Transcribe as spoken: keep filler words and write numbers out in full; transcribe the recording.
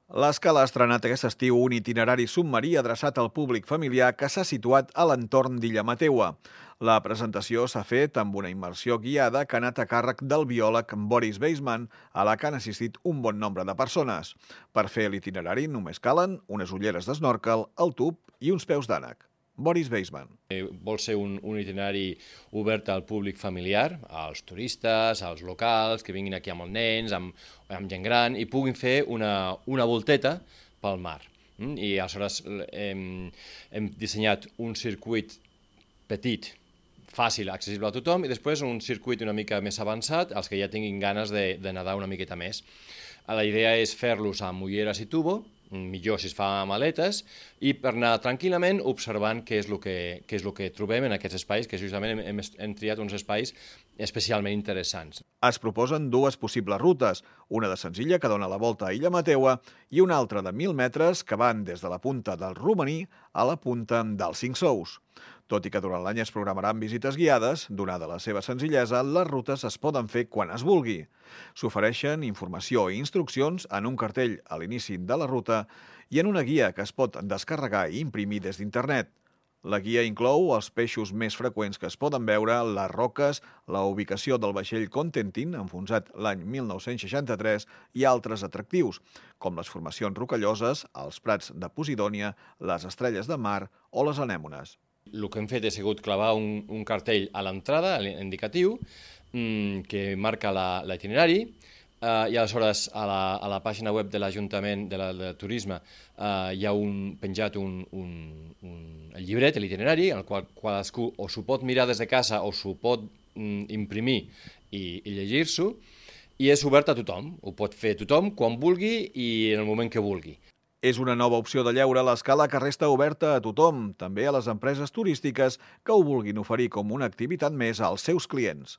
L'Escala ha estrenat aquest estiu un itinerari submarí adreçat al públic familiar que s'ha situat a l'entorn d'Illa Mateua. La presentació s'ha fet amb una immersió guiada que ha anat a càrrec del biòleg Boris Weisman, a la que han assistit un bon nombre de persones. Per fer l'itinerari només calen unes ulleres d'esnòrquel, el tub i uns peus d'ànec. Boris Weisman. Vol ser un, un itinerari obert al públic familiar, als turistes, als locals, que vinguin aquí amb els nens, amb, amb gent gran, i puguin fer una, una volteta pel mar. I aleshores hem, hem dissenyat un circuit petit, fàcil, accessible a tothom, i després un circuit una mica més avançat, als que ja tinguin ganes de, de nedar una miqueta més. La idea és fer-los amb ulleres i tubo, millor si es fa amb aletes, i per anar tranquil·lament observant què és el que, què és el que trobem en aquests espais, que justament hem, hem triat uns espais especialment interessants. Es proposen dues possibles rutes, una de senzilla que dona la volta a Illa Mateua i una altra de mil metres que van des de la punta del Romaní a la punta dels Cinc Sous. Tot i que durant l'any es programaran visites guiades, donada la seva senzillesa, les rutes es poden fer quan es vulgui. S'ofereixen informació i instruccions en un cartell a l'inici de la ruta i en una guia que es pot descarregar i imprimir des d'internet. La guia inclou els peixos més freqüents que es poden veure, les roques, la ubicació del vaixell Contentin, enfonsat l'any mil nou-cents seixanta-tres, i altres atractius, com les formacions rocalloses, els prats de Posidònia, les estrelles de mar o les anèmones. El que hem fet ha sigut clavar un, un cartell a l'entrada, indicatiu, mmm, que marca l'itinerari, Uh, i aleshores a la, a la pàgina web de l'Ajuntament de, la, de Turisme uh, hi ha un, penjat un, un, un el llibret, l'itinerari, en el qual cadascú o s'ho pot mirar des de casa o s'ho pot mm, imprimir i, i llegir-s'ho, i és obert a tothom, ho pot fer tothom quan vulgui i en el moment que vulgui. És una nova opció de lleure a l'Escala que resta oberta a tothom, també a les empreses turístiques que ho vulguin oferir com una activitat més als seus clients.